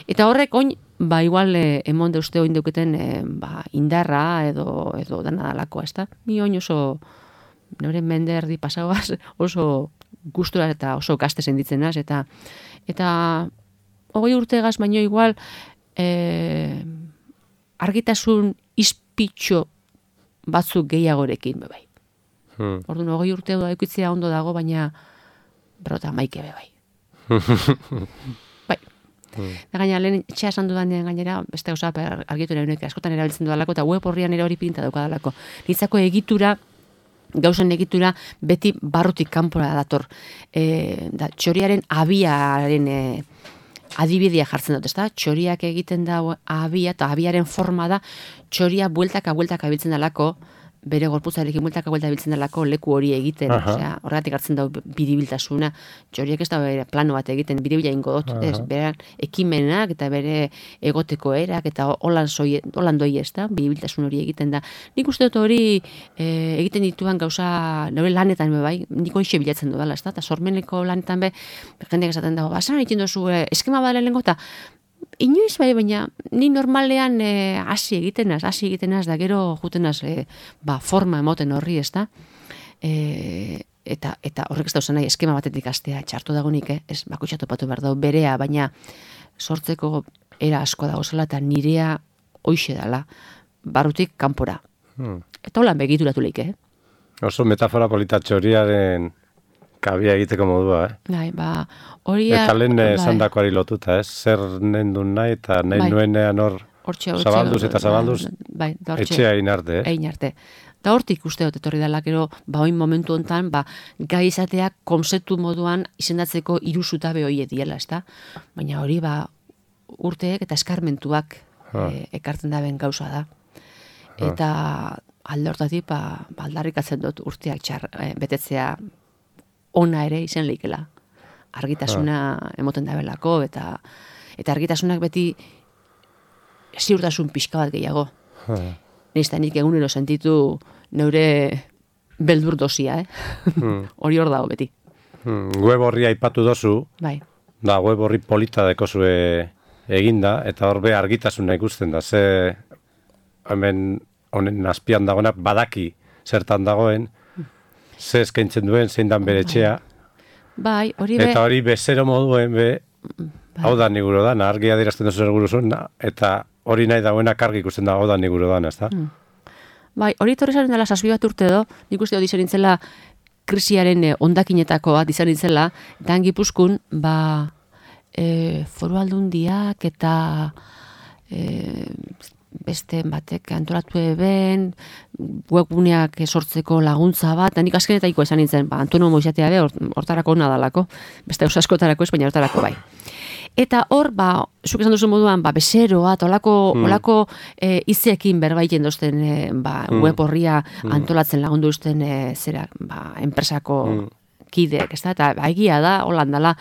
Eta horrek, oin, ba, igual, eh, emon deuzte oin deuketen, eh, ba, indarra, edo, edo dana dalako, ez da? Ni oin oso, naure mende erdi pasauaz, oso gustura eta oso kaste senditzen naz, eta, eta, hogei urtegaz, baino igual, eh, argitasun izpitxo batzuk gehiagorekin, bebai. Hmm. Orduan, hogei urte da ikutzea ondo dago, baina berrota maike bebai. bai. Hmm. Da gaina, lehen etxea esan dudanean gainera, beste gauza argitu nahi askotan erabiltzen dudalako, eta web horrian ere hori pinta daukadalako. Nitzako egitura, gauzen egitura, beti barrutik kanpora dator. E, da, txoriaren abiaren e, adibidea jartzen dut, ezta? Txoriak egiten da abia, eta abiaren forma da, txoria bueltaka bueltaka biltzen dalako, bere gorputzarekin bueltaka bueltaka biltzen dalako leku hori egiten, osea, horregatik hartzen da biribiltasuna, txoriak ez da bere plano bat egiten, biribila ingo dut, ez, bere ekimenak eta bere egoteko erak, eta holan, zoi, holan doi ez da, biribiltasun hori egiten da. Nik uste dut hori e, egiten dituan gauza, nire lanetan be bai, nik hoxe bilatzen dudala, ez da, eta sormeneko lanetan be, jendeak esaten dago, basan egiten duzu, e, eskema badale lehenko, eta inoiz bai, baina ni normalean hasi e, egitenaz, hasi egitenaz, da gero jutenaz e, ba, forma emoten horri, ez da? E, eta, eta horrek ez dauzan nahi, eskema batetik astea, txartu dagonik, eh? Ez bakutxatu patu behar dau, berea, baina sortzeko era asko dago zela, eta nirea hoixe dala, barrutik kanpora. Hmm. Eta holan begituratu leike, eh? Oso metafora polita txoriaren kabia egiteko modua, eh? Bai, ba, hori... Eta lehen esan bai. dakoari lotuta, eh? Zer nendun nahi, eta nahi bai. nuenean hor zabalduz eta zabalduz bai, etxea egin arte, eh? Egin arte. Da hortik uste dut etorri dela, gero, ba, oin momentu hontan, ba, gai izateak konzeptu moduan izendatzeko hiru zutabe hori diela, ezta? Baina hori, ba, urteek eta eskarmentuak e, ekartzen daben gauza da. Eta alde hortatik, ba, aldarrikatzen dut urteak txar, e, betetzea ona ere izen leikela. Argitasuna ha. emoten dabelako, eta eta argitasunak beti ziurtasun pixka bat gehiago. Nizta nik egunero sentitu neure beldur dosia, eh? Hmm. Hori hor dago beti. Hmm. Web horri aipatu dozu, bai. Da web horri polita dekozue eginda, eta hor be argitasuna ikusten da, ze hemen honen azpian dagoena badaki zertan dagoen, ze eskaintzen duen, zein dan bere etxea. Bai, hori be... Eta hori bezero moduen be, bai. hau da niguro dana, argi adierazten duzu erguru zuen, eta hori nahi dagoena kargi ikusten da, hau da niguro dana, ez da? Hmm. Bai, hori torri zaren dela sasbi bat urte do, nik uste hori izan nintzela krisiaren eh, ondakinetako bat izan nintzela, eta Gipuzkoan, ba, eh, foru aldundiak eta eh, beste batek antolatu eben, webguneak sortzeko laguntza bat, eta nik azkenetaiko esan nintzen, ba, autonomo izatea be, hortarako hona dalako, beste oso askotarako ez, baina hortarako bai. Eta hor, ba, zuk esan duzu moduan, ba, bezeroa, eta olako, mm. olako e, izeekin berbaiten dozten e, ba, mm. web horria mm. antolatzen lagundu duzten e, zera, ba, enpresako mm. kideek, ez da, eta ba, egia da, holandala.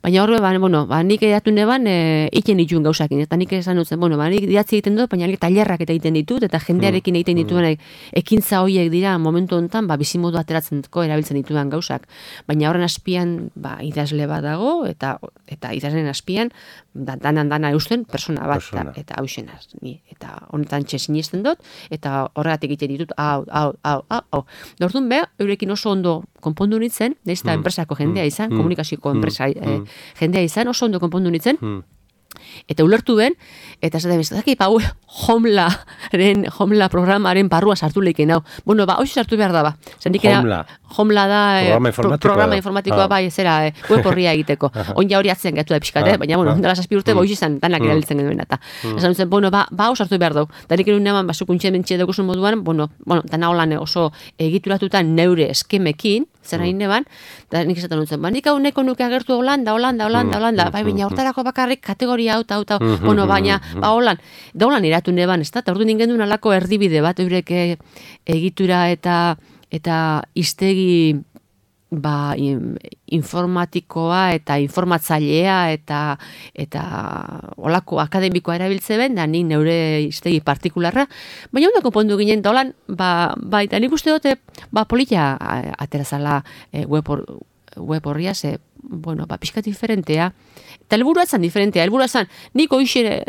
Baina horre, ba, bueno, ba, nik edatu neban e, iten dituen gauzakin, eta nik esan dutzen, bueno, ba, nik didatzi egiten dut, baina nik tailerrak eta egiten ditut, eta jendearekin egiten dituen mm. ekintza horiek dira momentu honetan, ba, bizimodu ateratzeko erabiltzen dituen gauzak. Baina horren azpian, ba, idazle bat dago, eta eta idazlen azpian, da, danan dana eusten persona bat, persona. eta hausen ni, eta honetan txe sinisten dut, eta horregatik egiten ditut, hau, hau, hau, hau, hau. Orduan be, eurekin oso ondo konpondu nintzen, ez da mm. enpresako jendea izan, mm. komunikazioko enpresa mm. eh, jendea izan, oso ondo konpondu nintzen, mm. eta ulertu ben, eta ez da bezala, daki, pa, homlaren, homla programaren barrua sartu leiken, hau. Bueno, ba, hoxe sartu behar da, ba. Homla. Homla da, programa eh, informatikoa, programa informatikoa ah. bai, zera, eh, web horria egiteko. Onja hori atzen gatu da pixkat, ah. baina, bueno, ah. dela zazpi urte, mm. ba, hoxe izan, danak mm. erabiltzen genuen, eta. Mm. Esan dutzen, bueno, ba, ba, sartu behar dau. Danik erun neman, ba, zukuntxe mentxe duguzun moduan, bueno, bueno, dana holan oso egituratuta neure eskemekin, zera mm. neban, da nik esaten dutzen, ba, nik hau neko nuke agertu Holanda, Holanda, Holanda, Holanda, bai, baina hortarako bakarrik kategoria hau, hau, hau, bueno, baina, ba, holan, da holan iratu neban, ez da, eta ordu ningen duen alako erdibide bat, eurek egitura eta eta iztegi ba, informatikoa eta informatzailea eta eta olako akademikoa erabiltze ben, da nik neure iztegi partikularra, baina ondo konpondu ginen, da holan, ba, ba, eta nik uste dute, ba, polita aterazala e, web, or, web horria, ze, bueno, ba, pixkat diferentea, eta helburua zan diferentea, helburua zan, nik oixe,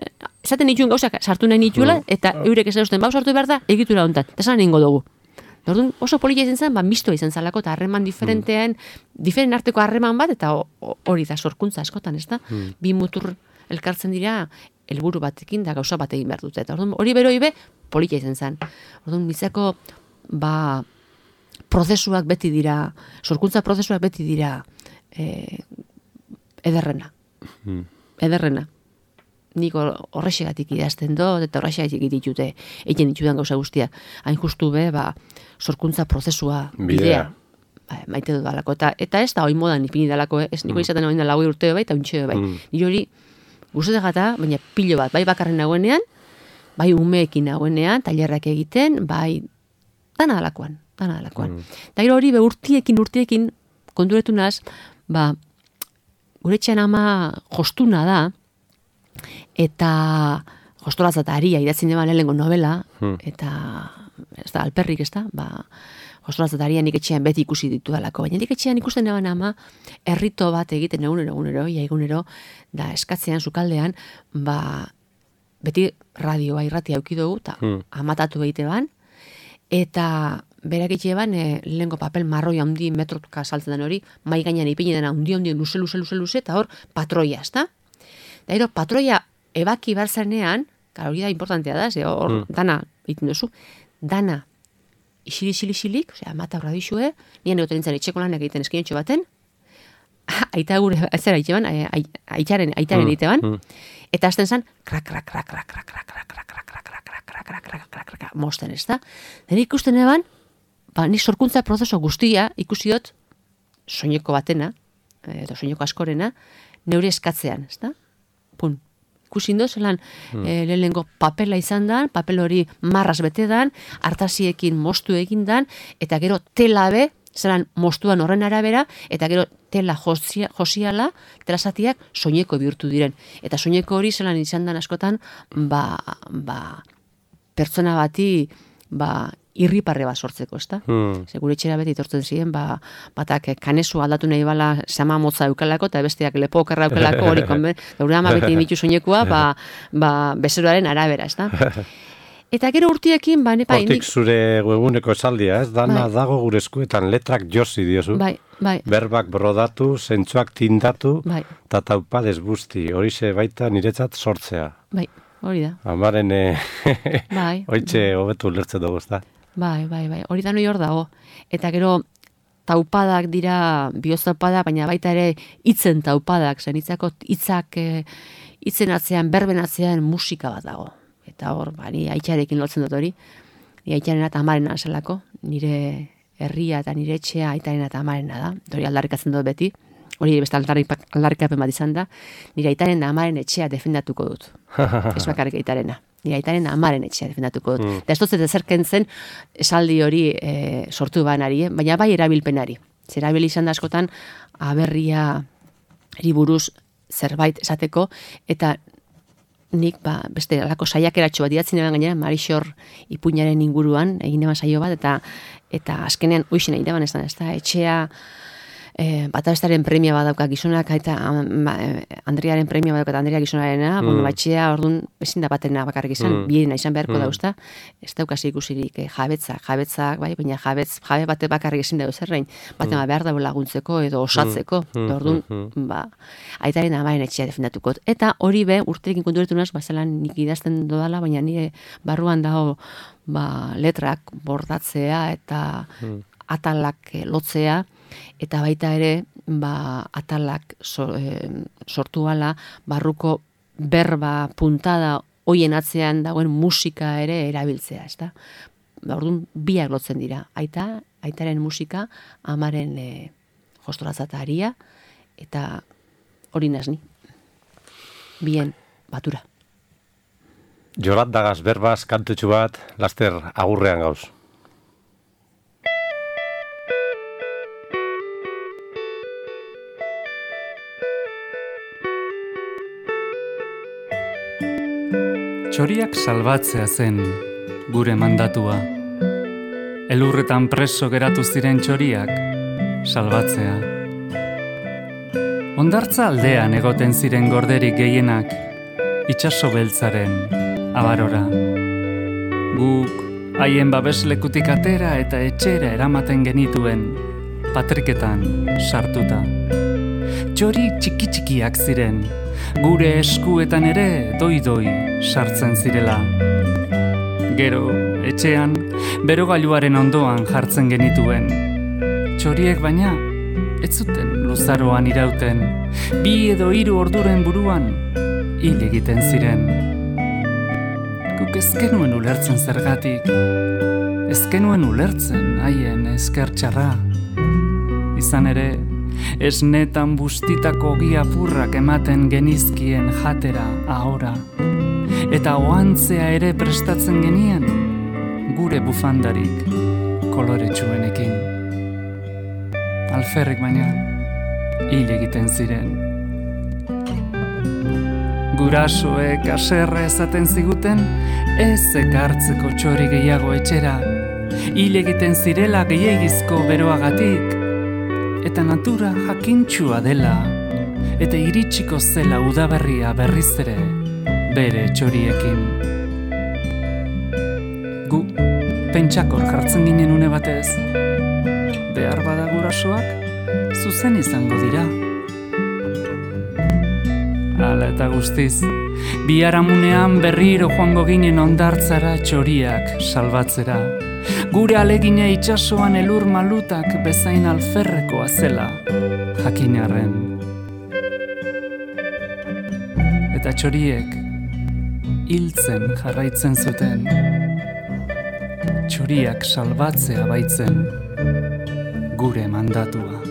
esaten nituen gauzak sartu nahi nituela, eta eurek esan duzten, bau sartu behar da, egitura honetan, eta esan ningo dugu. Orduan oso polita izan zen, ba, mistoa izan zalako, eta harreman diferentean, mm. diferent arteko harreman bat, eta hori da sorkuntza askotan, ez da? Mm. Bi mutur elkartzen dira, helburu batekin da gauza bat egin behar dute. Eta orduan hori beroi be, polita izan zen. Orduan bizako, ba, prozesuak beti dira, sorkuntza prozesuak beti dira, eh, ederrena. Mm. Ederrena. Nik horrexegatik idazten dut, eta horrexegatik ditute, egiten ditudan gauza guztia. Hain justu be, ba, sorkuntza prozesua, bidea, ba, maite dut dalako. Eta, eta ez da hoi modan ipini dalako, eh? Ez niko mm. izaten hori da lagoi urteo bai, eta untxeo bai. Mm. Nire hori, guztetak gata, baina pilo bat, bai bakarren nagoenean, bai umeekin nagoenean, tailerrak egiten, bai, dana dalakoan, dana dalakoan. Mm. Eta gero hori, be, urtiekin, urtiekin, konturetu naz, ba, gure etxean ama jostuna da, eta jostolatza eta aria idatzen eban lehengo novela, hmm. eta ez da, alperrik ez da, ba, jostolatza eta aria nik etxean beti ikusi ditu dalako, baina nik etxean ikusten eban ama, errito bat egiten egunero, egunero, ia egunero, da eskatzean, sukaldean, ba, beti radioa irratia aukidugu, eta hmm. amatatu behite ban, eta berak etxe eban, e, lehenko papel marroi handi metrotuka saltzen den hori, mai gainean ipini dena, hundi hundi, luze, luze, luze, luze, eta hor, patroia, ez da? Da, ero, patroia ebaki barzanean, hori da importantea da, ze hor, mm. dana, egiten duzu, dana, isili-isili-isilik, osea, mata horra dixue, nien egoten nintzen etxeko lanak egiten eskinotxo baten, aita gure, ez zera, aitaren, aitaren egite ban, eta azten zan, krak, krak, krak, krak, krak, krak, krak, krak, krak, krak, krak, krak, krak, krak, krak, krak, mosten ez da. Den ikusten eban, ba, nik sorkuntza prozeso guztia ikusi dut, soineko batena, edo soineko askorena, neure eskatzean, ez da? Pun, ikusi indo, zelan hmm. e, lehenengo papela izan dan, papel hori marraz bete dan, hartasiekin mostu egin dan, eta gero tela be, zelan mostuan horren arabera, eta gero tela josia, josiala, tela zatiak soineko bihurtu diren. Eta soineko hori zelan izan dan askotan, ba, ba, pertsona bati, ba, irriparre bat sortzeko, ez da? Hmm. Segure etxera beti tortzen ziren, ba, batak kanesu aldatu nahi bala sama motza eukalako, eta besteak lepo okerra eukalako hori konben, gaur ama beti bitu soinekua, ba, ba, bezeroaren arabera, ez da? Eta gero urtiekin, ba, nepa... Hortik zure webuneko esaldia, ez? Dana bai. Dago gure eskuetan letrak josi diozu. Bai, bai. Berbak brodatu, zentsuak tindatu, bai. Ta taupa desbusti. Horixe baita niretzat sortzea. Bai, hori da. Amaren, eh, bai. Hoitxe hobetu ulertzen dugu, ez da? Bai, bai, bai. Hori da noi hor dago. Eta gero taupadak dira, bioz taupada, baina baita ere hitzen taupadak, zen hitzako hitzak, hitzen atzean, berben atzean musika bat dago. eta hor, ba, ni aitzarekin lotzen dut hori, ni aitaren eta amarena zelako, nire herria eta nire etxea aitaren eta amarena da, hori aldarrikatzen dut beti, hori beste aldarrikapen bat izan da, nire aitaren da amaren etxea defendatuko dut, ez bakarrik aitarena. Nire aitaren amaren etxea defendatuko dut. Mm. Da ez dut zerken zen esaldi hori e, sortu banari, eh? Baina bai erabilpenari. Zer erabil izan da askotan aberria buruz zerbait esateko, eta nik ba, beste alako saiakeratxo bat idatzen eban gainera, Marixor ipuinaren inguruan, egin eban saio bat, eta eta azkenean uixen egin eban ez da, ez da, etxea, E, Batabestaren premia badauka gizonak eta um, Andriaren premia badauka Andria gizonarena, mm. bueno, batxea orduan ezin da batena bakarrik izan, mm. biena izan beharko mm. dauzta, ez daukasi ikusirik eh, jabetzak, jabetzak, bai, baina jabetz, jabe bate bakarrik ezin dauz zerrein, batema mm. behar dago laguntzeko edo osatzeko, mm. orduan, mm. ba, aitaren amaren etxea defendatuko. Eta hori be, urterekin konturetu naz, bazelan nik idazten dodala, baina nire barruan dago ba, letrak bordatzea eta mm. atalak eh, lotzea, eta baita ere ba, atalak so, e, sortu ala barruko berba puntada hoien atzean dagoen musika ere erabiltzea, ezta? Ba, orduan biak lotzen dira. Aita, aitaren musika, amaren e, jostoratzata aria, eta hori nazni. Bien, batura. Jorat dagaz berbaz, kantutxu bat, laster agurrean gauz. Txoriak salbatzea zen gure mandatua. Elurretan preso geratu ziren txoriak salbatzea. Hondartza aldean egoten ziren gorderik gehienak itsaso beltzaren abarora. Guk haien babeslekutik atera eta etxera eramaten genituen patriketan sartuta. Txori txiki-txikiak ziren, gure eskuetan ere doi-doi sartzen zirela. Gero, etxean, berogailuaren ondoan jartzen genituen. Txoriek baina, ez zuten luzaroan irauten, bi edo hiru orduren buruan hil egiten ziren. Guk ezkenuen ulertzen zergatik, ezkenuen ulertzen haien eskertxarra. Izan ere, esnetan bustitako giapurrak ematen genizkien jatera ahora, eta oantzea ere prestatzen genien gure bufandarik koloretsuenekin. Alferrik baina hil egiten ziren. Gurasoek aserre ezaten ziguten ez ekartzeko txori gehiago etxera, hil egiten zirela gehiagizko beroagatik, eta natura jakintxua dela, eta iritsiko zela udaberria berriz ere bere txoriekin. Gu pentsakor jartzen ginen une batez, behar bada gurasoak zuzen izango dira. Hala eta guztiz, biharamunean berriro joango ginen hondartzara txoriak salbatzera. Gure alegina itsasoan elur malutak bezain alferrekoa zela jakinarren. Eta txoriek hiltzen jarraitzen zuten. Txoriak salbatzea baitzen gure mandatua.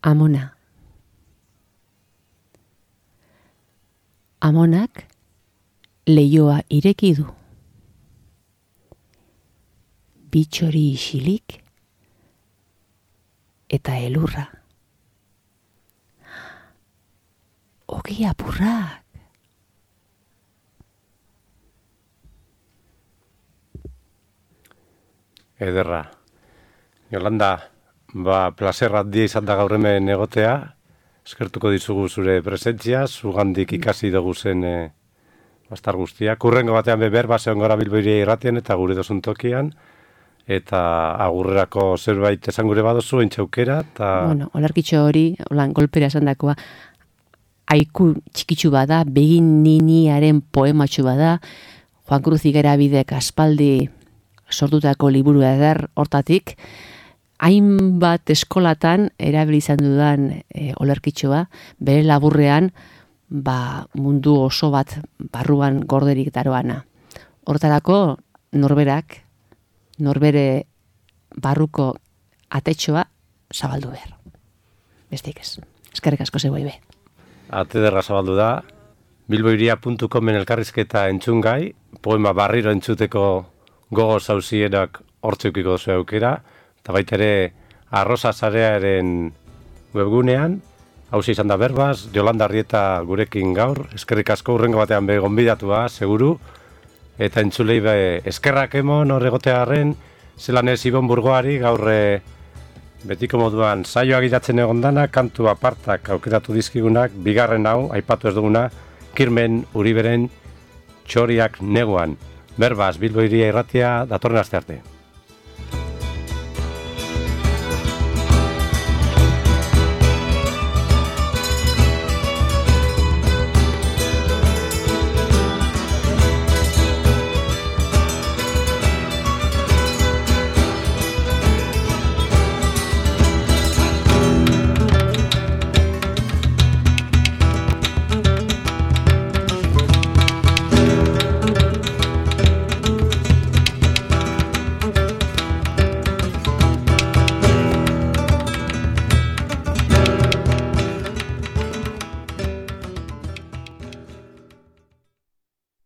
Amona. Amonak leioa ireki du. Bitxori isilik eta elurra. Ogi apurrak. Ederra. Jolanda, ba, plazer handia izan da gaur hemen egotea. Eskertuko dizugu zure presentzia, zugandik ikasi dugu zen e, bastar guztia. Kurrengo batean beber, baseon gara Bilboiria irratian eta gure dozun tokian. Eta agurrerako zerbait esan gure badozu, entxaukera. Ta... Bueno, olarkitxo hori, holan golpera esan dakoa, haiku txikitsu bada, begin niniaren poematxu bada, Juan Cruz Igerabidek aspaldi sortutako liburu eder hortatik, hainbat eskolatan erabili izan dudan e, olerkitxoa, bere laburrean ba, mundu oso bat barruan gorderik daroana. Hortarako norberak, norbere barruko atetxoa zabaldu behar. Bestik ez. Eskerrik asko zeu be. Ate derra zabaldu da. bilboiria puntu comen elkarrizketa entzungai, poema barriro entzuteko gogo zauzienak hortzeukiko duzu aukera, eta baita ere Arrosa Sarearen webgunean, hausia izan da berbaz, Jolanda Arrieta gurekin gaur, eskerrik asko urrengo batean be gonbidatua, seguru, eta entzulei be eskerrak emon hor egotearen, zelan ez Ibon Burgoari gaur e, betiko moduan saioa gidatzen egondana, kantu apartak aukeratu dizkigunak, bigarren hau, aipatu ez duguna, Kirmen Uriberen Txoriak neguan. Berbaz, Bilboiria irratia, datorren aste arte.